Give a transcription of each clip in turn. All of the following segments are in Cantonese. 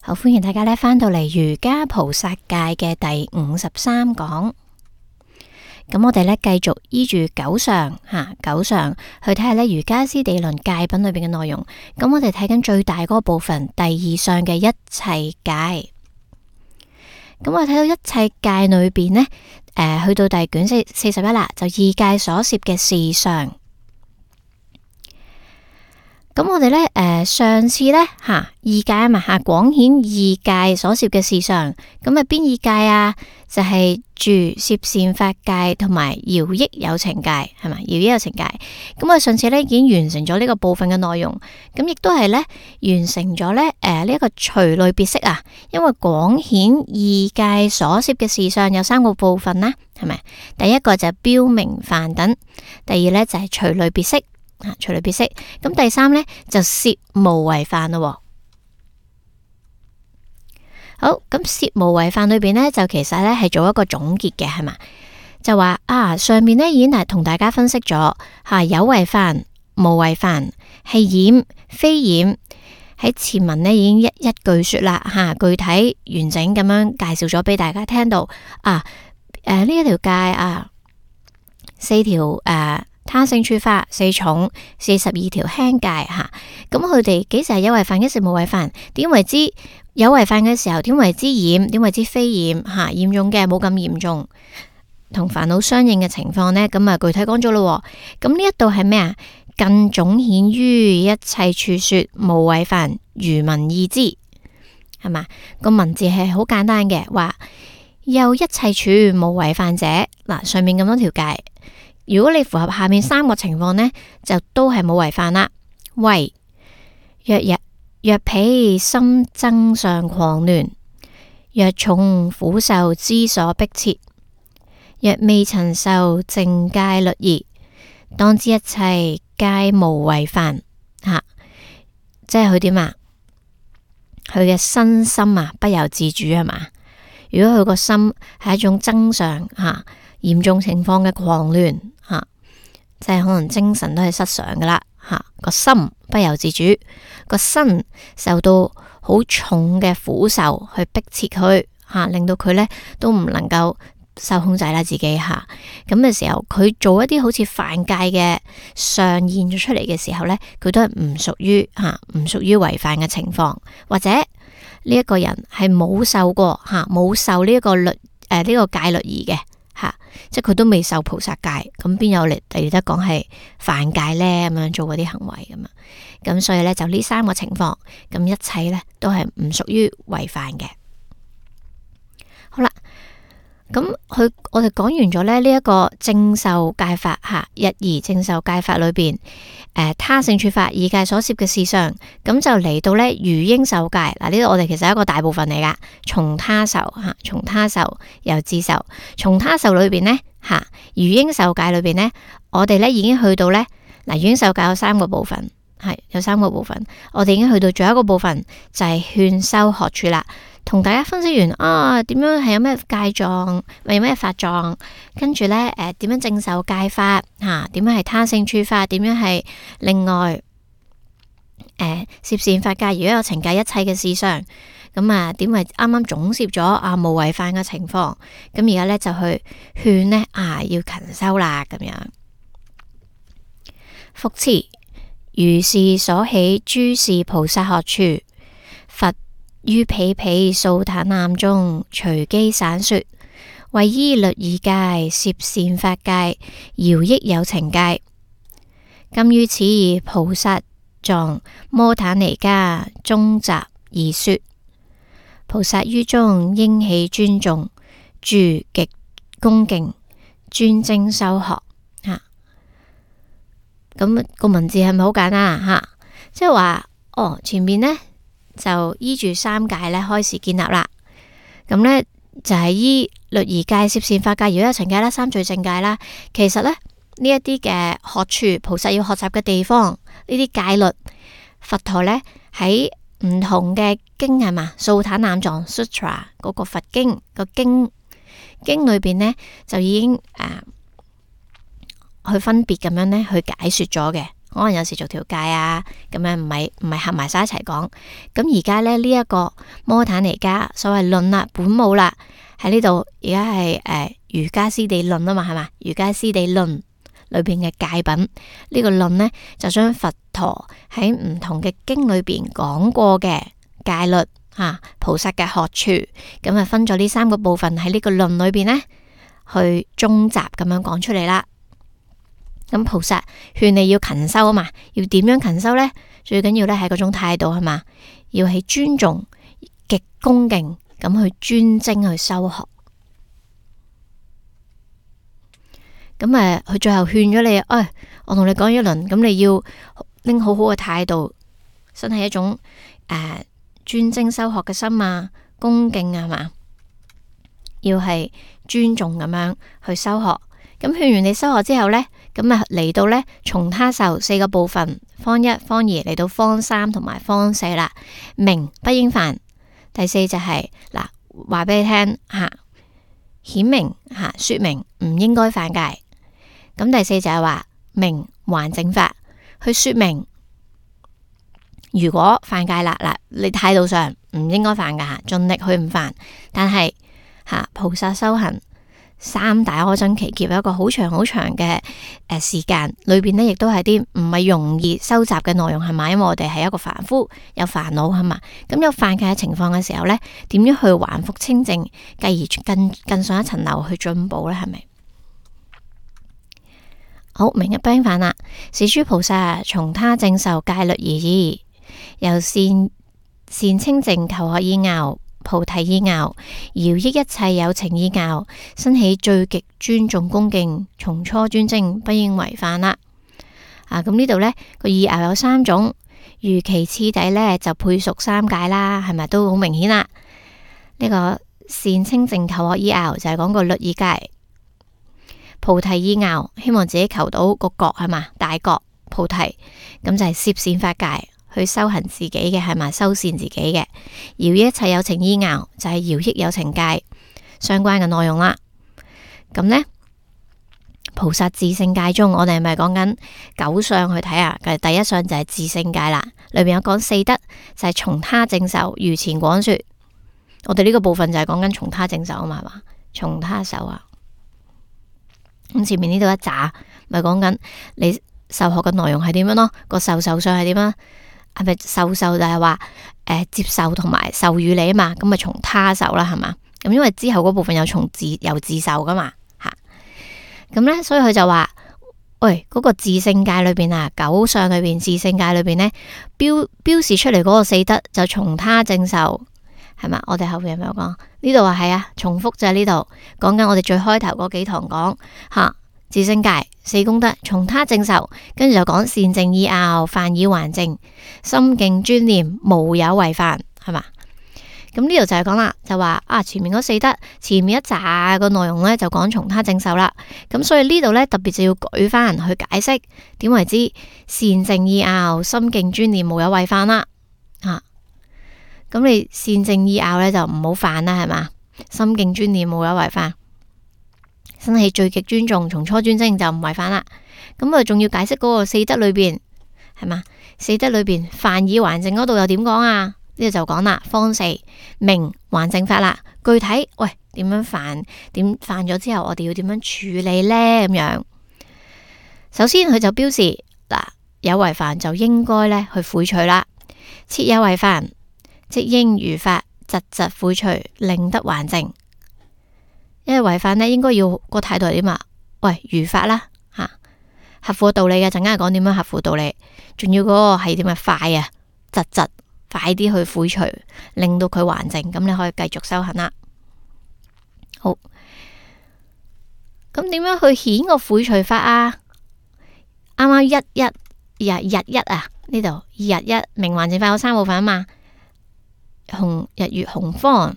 好，歡迎大家返到嚟瑜伽菩薩戒嘅第53講。咁我哋繼續依住九常去睇下瑜伽師地論戒品裏邊嘅內容。咁我哋睇緊最大嗰個部分，第2相嘅一切戒。咁我睇到一切戒裏邊呢，去到第卷41啦，就二戒所攝嘅事相。咁我哋上次二戒啊嘛廣顯二戒所攝嘅事相。咁邊二戒啊？就係住攝善法戒同埋饒益有情戒，係嘛？饒益有情戒。咁我上次已經完成咗呢個部分嘅內容。咁亦都係完成咗呢一個隨類別釋啊。因為廣顯二戒所攝嘅事相有3個部分啦，係咪？第一個就係標明範等，第二呢就係隨類別釋。隨類別釋，咁第3呢，就攝無違範咯。好，咁攝無違範裏邊呢，就其實係做一個總結嘅，係嘛？就話上面呢已經係同大家分析咗有違範、無違範係染非染，喺前文呢已經一句說啦，具體完整咁樣介紹咗俾大家聽到呢一條戒4條他勝處法4重42條輕戒咁佢哋幾時係有違範，幾時無違範？點為之有違範嘅時候？點為之染？點為之非染？嚴重嘅冇咁嚴重，同煩惱相應嘅情況呢？咁具體講咗咯。咁呢一度係咩啊？更總顯於一切處說無違範，如文意之，係嘛？個文字係好簡單嘅，話又一切處無違範者，上面咁多條戒。如果你符合下面3個情況呢，就都係冇違範啦。為若彼心增上狂亂，若重苦受之所迫切，若未曾受淨戒律儀，當知一切皆無違範。即係佢點啊？佢嘅身心不由自主，係嘛？如果佢個心係一種增上嚴重情況嘅狂亂，即係可能精神都係失常噶啦，個心不由自主，個身受到好重嘅苦受去迫切佢，令到佢都唔能夠受控制啦自己咁嘅時候，佢做一啲好似犯戒嘅上現咗出嚟嘅時候呢，佢都係唔屬於違犯嘅情況，或者呢一個人係冇受過冇受呢一個呢個戒律儀嘅。即係佢都未受菩薩戒，咁邊有嚟得講係犯戒呢？咁樣做嗰啲行為咁所以呢，就呢3個情況，咁一切呢都係唔屬於違犯嘅。好啦，咁我哋講完咗呢一個正受戒法日儀正受戒法裏邊他勝處法二戒所攝嘅事相，咁就嚟到餘應受戒。呢度我哋其實係一個大部分嚟噶，從他受從他受由自受，從他受裏邊呢餘應受戒裏邊呢，我哋已經去到餘應受戒有3個部分，有3個部分，我哋已經去到最後一個部分，就係勸修學處啦。同大家分析完點樣係有咩戒狀，有咩法狀，跟住呢點樣正受戒法點樣係他勝處法，點樣係另外攝善法戒，如果有情戒一切嘅事相，咁點為啱啱總攝咗無違犯嘅情況，咁而家呢，就去勸呢要勤修啦咁樣。復次，如是所起諸事菩薩學處，佛於彼彼素坦南中隨機散說，為依律儀戒、攝善法戒、饒益有情戒。今於此菩薩藏摩坦尼迦中集而說，菩薩於中應起尊重，住極恭敬，專精修學。咁個文字係咪好簡單即係話前面呢，就依住3戒開始建立啦。咁呢，就係依律儀戒、攝善法戒、饒益有情戒啦、3聚淨戒啦。其實呢一啲嘅學處，菩薩要學習嘅地方，呢啲戒律，佛陀呢喺唔同嘅經係嘛，素坦南藏 Sutra 嗰個佛經個經裏邊呢，就已經去分別咁樣呢去解說咗嘅。可能有時做調解啊，咁樣唔係合埋晒一齊講。咁而家咧呢一個摩坦尼加所謂論啦，本母啦，喺呢度而家係瑜伽師地論啊嘛，係嘛？瑜伽師地論裏邊嘅戒品，呢個論呢，就將佛陀喺唔同嘅經裏邊講過嘅戒律菩薩嘅學處，咁啊分咗呢3個部分喺呢個論裏邊呢，去綜集咁樣講出嚟啦。咁菩薩勸你要勤修啊嘛，要點樣勤修呢？最緊要咧係嗰種態度係嘛，要係尊重、極恭敬咁去專精去修學。咁佢最後勸咗你，我同你講一輪，咁你要拎好好嘅態度，真係一種專精修學嘅心啊，恭敬啊，係嘛，要係尊重咁樣去修學。咁勸完你修學之後呢，咁嚟到呢，從他受4個部分，方1、方2嚟到方3同埋方4啦。明不應犯，第4就係話俾你聽顯明說明唔應該犯戒。咁第4就係話明還正法，去說明如果犯戒啦，你態度上唔應該犯噶，盡力去唔犯。但係菩薩修行3大阿僧祇劫有一個好長好長嘅時間，裏邊呢亦都係啲唔係容易收集嘅內容，係嘛？因為我哋係一個凡夫，有煩惱係嘛？咁有犯戒嘅情況嘅時候呢，點樣去還復清淨，繼而更上一層樓去進步呢？係咪？好，明日不應犯啦。是諸菩薩從他正受戒律而已，由善清淨求學依拗、菩提依拗、饒益一切有情依拗，生起最極尊重恭敬，從初專精，不應違犯啦。咁呢度呢個依拗有3種，如其次第呢就配屬3戒啦，係咪都好明顯啦？呢個善清淨求學依拗就係講個律儀戒。菩提依拗，希望自己求到個覺係嘛，大覺菩提，咁就係攝善法界去修行自己嘅係嘛，修善自己嘅。饒益一切有情依拗，就係饒益有情界相關嘅內容啦。咁呢，菩薩自性戒中，我哋係咪講緊9相去睇啊？第1相就係自性戒啦，裏邊有講4德，就係從他正受，如前廣說。我哋呢個部分就係講緊從他正受啊嘛，係嘛？從他受啊。咁前面呢度一紮，咪講緊你受學嘅內容係點樣咯？個受相係點啊？係咪受就係話接受同埋授予你啊嘛？咁咪從他受啦，係嘛？咁因為之後嗰部分有由自受噶嘛吓。咁呢，所以佢就話，喂，嗰個自性戒裏邊9相裏邊自性戒裏邊呢，標示出嚟嗰個4德就從他正受。係嘛？我哋後邊有冇講？呢度話係啊，重複就係呢度講緊我哋最開頭嗰幾堂講自性戒4功德，從他正受，跟住就講善淨依拗，犯以還淨，心敬專念，無有違犯，係嘛？咁呢度就係講啦，就話前面嗰4德，前面一紮個內容呢，就講從他正受啦。咁所以呢度呢，特別就要舉翻去解釋點為之善淨依拗，心敬專念，無有違犯啦。咁你善淨依拗呢，就唔好犯啦，係嘛？心敬專念，無有違犯，生起最極尊重，從初專精就唔違犯啦。咁仲要解釋嗰個4德裏邊係嘛？4德裏邊犯以還淨嗰度又點講啊？呢度就講啦，方4明還淨法啦。具體喂點樣犯？點犯咗之後我哋要點樣處理呢？咁樣首先佢就標示有違犯就應該呢去悔除啦。設有違犯，即應如法疾疾悔除，令得還淨。因為違犯呢，應該要個態度係點啊？喂，如法啦，合乎道理嘅，陣間講點樣合乎道理，仲要嗰個係點啊？快啊，疾疾快啲去悔除，令到佢還淨，咁你可以繼續修行啦。好，咁點樣去顯個悔除法啊？啱啱日一呢度日一明還淨法有3部分啊嘛。日月洪方，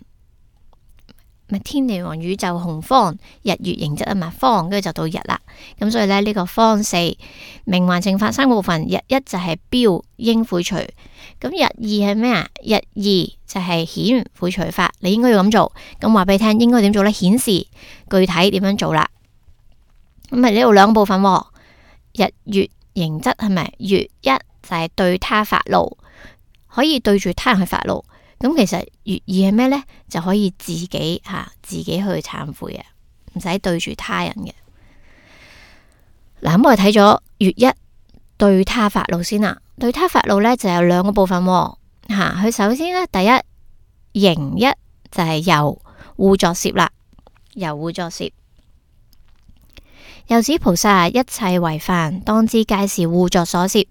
咪天地王宇宙洪方，日月形質啊嘛，方跟住就到日啦。咁所以咧呢個方4明還淨法3個部分，日一就係標應悔除，咁日2係咩啊？日2就係顯悔除法，你應該要咁做。咁話俾你聽，應該點做呢？顯示具體點樣做啦。咁咪呢度2個部分，日月形刑則係咪？乙一就係對他發怒，可以對住他人去發怒。咁其實乙二係咩呢？就可以自己去懺悔嘅，唔使對住他人嘅。嗱，咁我哋睇咗乙一對他發怒先啦。對他發怒呢，就有兩個部分喎。佢首先呢，第一刑一就係由護作攝啦，由護作攝。又指菩薩一切為犯，當知皆是護作所攝，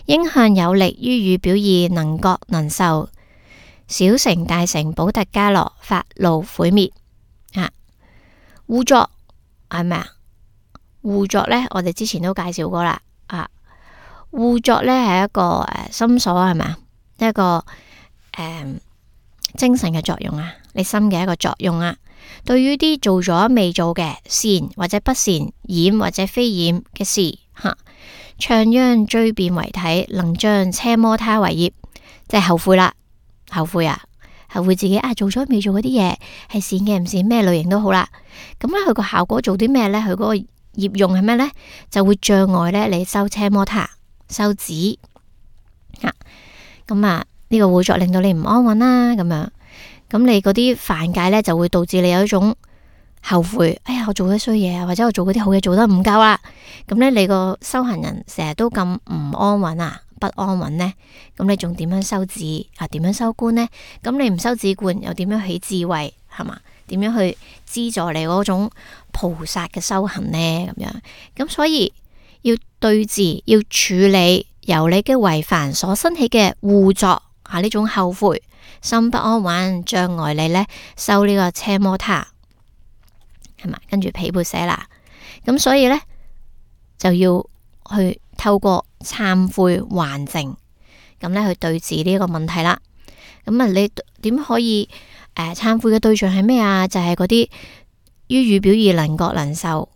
應向有力於語表意，能覺能受，小乘大乘補特伽羅發怒悔滅。護作係咩啊？護作呢，我哋之前都介紹過啦。護作呢係一個心所係咪啊？一個精神嘅作用啊，你心嘅一個作用啊。對於啲做咗未做嘅善或者不善、染或者非染嘅事，唱央追變為體，能將奢摩他為業，即係後悔啦，後悔自己做咗未做嗰啲嘢係善嘅唔善，咩類型都好啦。咁咧佢個效果做啲咩呢？佢嗰個業用係咩呢？就會障礙咧你修奢摩他、修止。咁呢個護作令到你唔安穩啦，咁樣。咁你嗰啲犯戒呢，就會導致你有一種後悔，哎呀，我做咗衰嘢啊，或者我做嗰啲好嘢做得唔夠啦。咁呢，你個修行人成日都咁唔安穩不安穩呢？咁你仲點樣修止點樣修觀呢？咁你唔修止觀，又點樣起智慧係嘛？點樣去資助你嗰種菩薩嘅修行呢？咁樣，咁所以要對治，要處理由你嘅為犯所生起嘅護作呢種後悔。心不安穩，障礙你呢修呢個奢摩他係嘛？跟住毗缽舍那，咁所以呢，就要去透過懺悔還淨，咁呢去對治呢個問題啦。咁你點可以懺悔嘅對象係咩啊？就係嗰啲於語表意能覺能受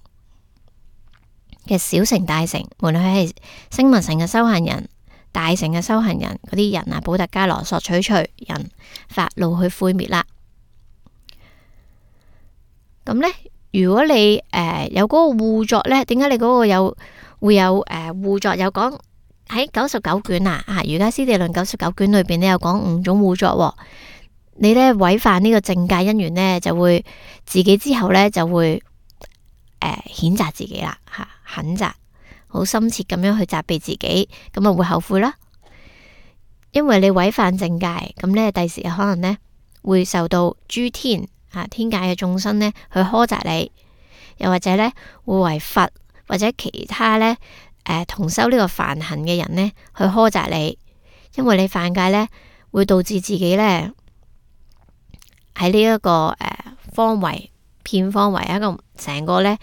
嘅小乘大乘，無論佢係聲聞乘嘅修行人、大乘嘅修行人嗰啲人補特伽羅索取隨人發怒去悔滅啦。咁呢，如果你有嗰個護作呢，點解你嗰個會有護作？有講喺99卷瑜伽師地論99卷裏邊呢，有講5種護作。你呢違犯呢個正戒因緣呢，就會自己之後呢就會譴責自己啦，譴責。好深切咁樣去責備自己，咁會後悔啦。因為你違犯正戒，咁呢第時可能呢會受到諸天天界嘅眾生呢去苛責你，又或者呢會為佛或者其他呢同修呢個梵行嘅人呢去苛責你，因為你犯戒呢會導致自己呢喺呢一個方位。片方為一個成個呢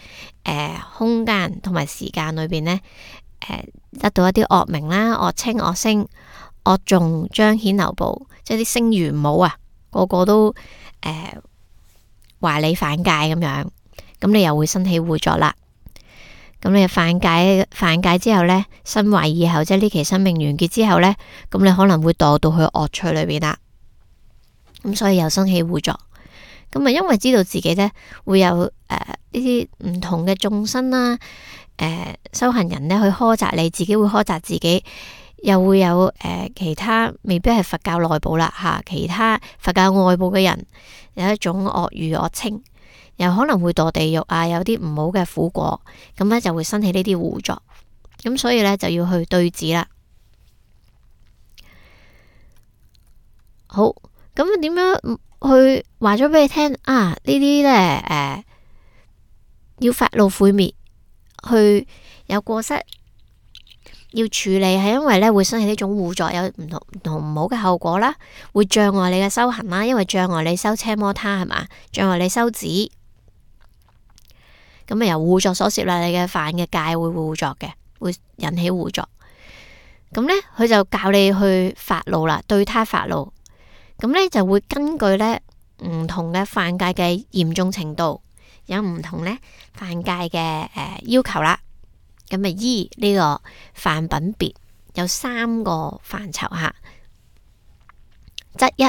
空間同埋時間裏邊呢得到一啲惡名啦、惡稱、惡聲、惡眾彰顯流布，即係啲聲譽唔好個個都話你犯戒咁樣，咁你又會生起護作啦。咁你犯戒之後呢，身壞以後，即係呢期生命完結之後呢，咁你可能會墮到去惡趣裏邊啦。咁所以又生起護作。咁因為知道自己呢會有呢啲唔同嘅眾生啦，修行人呢去苛責你，自己會苛責自己，又會有其他未必係佛教內部啦其他佛教外部嘅人有一種惡語惡稱，又可能會墮地獄有啲唔好嘅苦果，咁呢就會生起呢啲護作，咁所以呢就要去對治啦。好，咁點樣？去話咗俾你聽呢啲呢要發怒悔滅，去有過失要處理，係因為呢會生起呢種護作，有唔同唔好嘅後果啦，會障礙你嘅修行啦，因為障礙你修奢摩他係嘛，障礙你修止，咁由護作所攝啦，你嘅犯嘅戒會護作嘅，會引起護作，咁呢，佢就教你去發怒啦，對他發怒。咁呢就會根據呢唔同嘅犯戒嘅嚴重程度，有唔同呢犯戒嘅要求啦。咁依呢個犯品別有3個範疇則一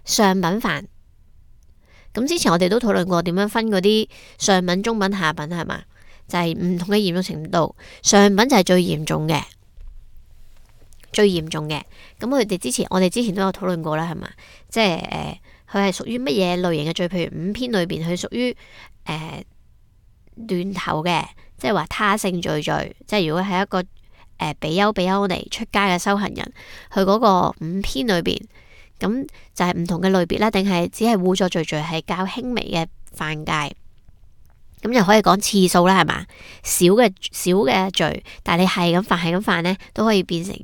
上品犯。咁之前我哋都討論過點樣分嗰啲上品、中品、下品係嘛？就係唔同嘅嚴重程度，上品就係最嚴重嘅。咁我哋之前都有討論過啦，係嘛？即係佢係屬於乜嘢類型嘅罪？譬如五篇裏邊，佢屬於亂頭嘅，即係話他性罪。即係如果係一個比丘尼出家嘅修行人，佢嗰個五篇裏邊，咁就係唔同嘅類別啦，定係只係互助罪係較輕微嘅犯戒？咁就可以講次數啦，係嘛？小嘅罪，但係你係咁犯呢，都可以變成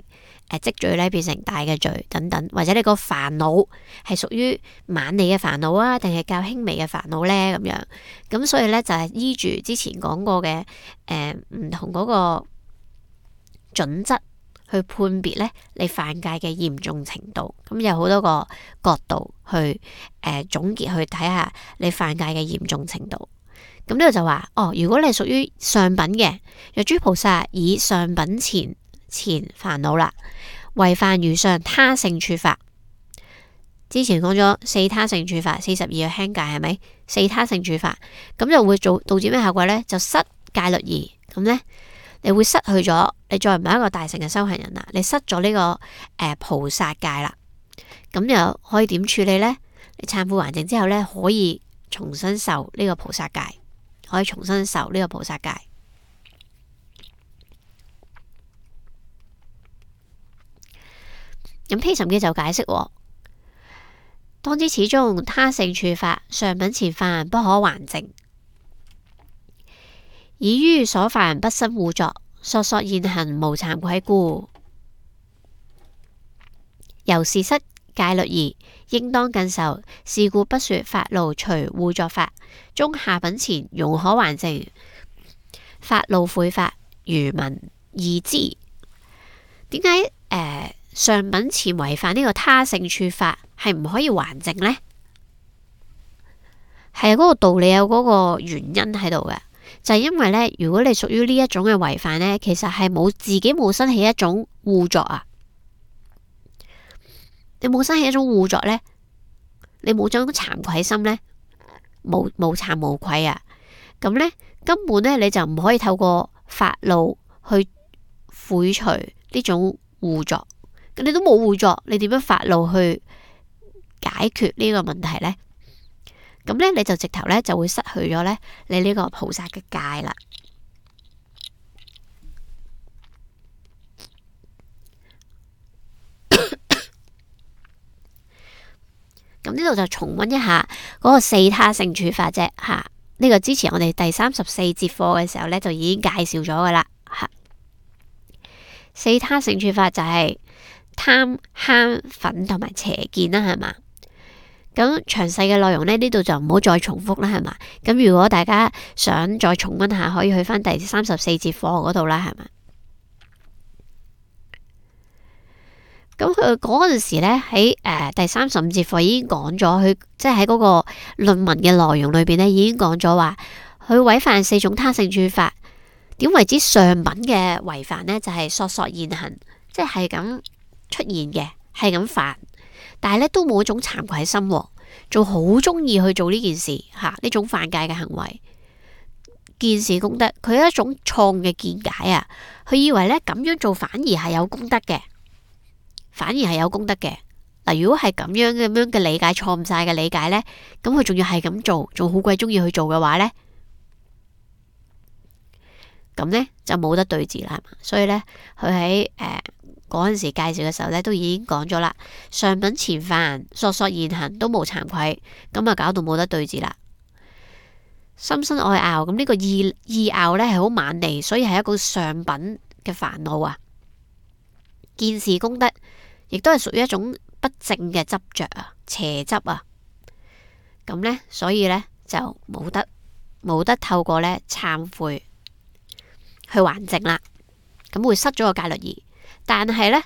積罪咧，變成大嘅罪等等，或者你個煩惱係屬於晚利嘅煩惱啊，定係較輕微嘅煩惱呢？咁樣，咁所以呢，就係依住之前講過嘅唔同嗰個準則去判別呢你犯戒嘅嚴重程度。咁有好多個角度去總結去睇下你犯戒嘅嚴重程度。咁呢度就話如果你係屬於上品嘅，若諸菩薩以上品前煩惱啦，違犯如上他性處法。之前講咗四他性處法42嘅輕戒係咪？四他性處法咁就會導致咩效果呢？就失戒律儀。咁呢，你會失去咗，你再唔係一個大乘嘅修行人啦，你失咗呢個菩薩戒啦。咁又可以點處理呢？你懺悔還淨之後呢，可以重新受呢個菩薩戒，咁披岑記就解釋，當知始終他性處法，上品前犯不可還淨，以於所犯不生互作，索現行無慚愧故，由是失戒律儀，應當更受。是故不說發怒隨互作法，中下品前容可還淨，發怒悔法，如聞意之。點解上品前違犯呢個他性處法係唔可以還淨呢？係嗰個道理有嗰個原因喺度嘅，就係因為呢，如果你屬於呢一種嘅違犯呢，其實係自己冇生起一種互作啊。你冇生起一種互作呢，你冇種慚愧心呢，無慚無愧啊。咁呢，根本呢，你就唔可以透過發怒去悔除呢種互作。咁你都冇互作，你點樣發怒去解決呢個問題呢？咁呢，你就直頭呢就會失去咗呢你呢個菩薩嘅戒啦。咁呢度就重溫一下嗰個四他性處法啫，吓，呢個之前我哋第34節課嘅時候呢，就已經介紹咗噶啦，吓。四他性處法就係貪、慳、忿同埋邪見啦，係嘛？咁詳細嘅內容呢，呢度就唔好再重複啦，係嘛？咁如果大家想再重溫下，可以去翻第34節課嗰度啦，係嘛？咁佢嗰陣時呢，喺第35節課已經講咗，佢即係喺嗰個論文嘅內容裏邊呢，已經講咗話，佢違犯4種他性處法，點為之上品嘅違犯呢？就係索現行，即係咁出現嘅，係咁犯，但係呢都冇一種慚愧心，仲好中意去做呢件事吓，呢種犯戒嘅行為，見是功德，佢有一種錯誤嘅見解啊，佢以為呢咁樣做反而係有功德嘅。嗱，如果係咁樣嘅理解，錯誤晒嘅理解呢，咁佢仲要係咁做，仲好鬼中意去做嘅話呢，咁呢就冇得對治啦。所以呢，佢喺嗰陣時介紹嘅時候呢，都已經講咗啦，上品前犯，索現行都無慚愧，咁啊搞到冇得對治啦。心生愛拗，咁呢個意拗呢係好猛利，所以係一個上品嘅煩惱啊。見是功德，亦都係屬於一種不正嘅執着啊，邪執啊。咁呢，所以呢，就冇得透過呢懺悔去還淨啦。咁會失咗個戒律儀，但係呢，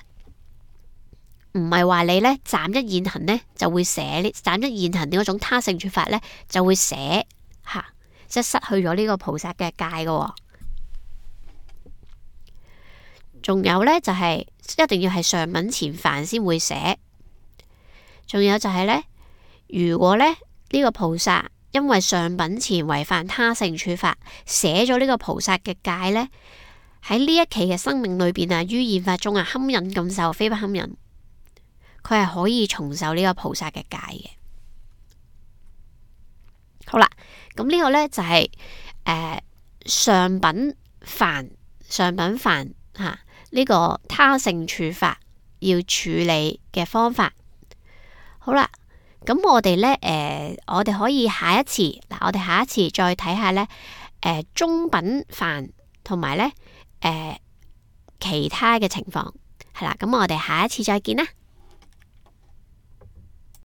唔係話你呢暫一現行呢就會捨呢暫一現行呢嗰種他性處法呢就會捨吓，即係失去咗呢個菩薩嘅戒噶。仲有呢，就係一定要係上品前犯先會捨。仲有就係呢，如果呢個菩薩因為上品前違犯他性處罰，寫咗呢個菩薩嘅戒呢，喺呢一期嘅生命裏邊啊，於現法中啊，堪忍咁受，非不堪忍，佢係可以重受呢個菩薩嘅戒嘅。好啦，咁呢個呢就係上品犯吓呢個他性處罰要處理嘅方法。好啦，咁我哋呢，我哋可以下一次再睇下呢，中品犯同埋呢其他嘅情況係啦。咁我哋下一次再見啦。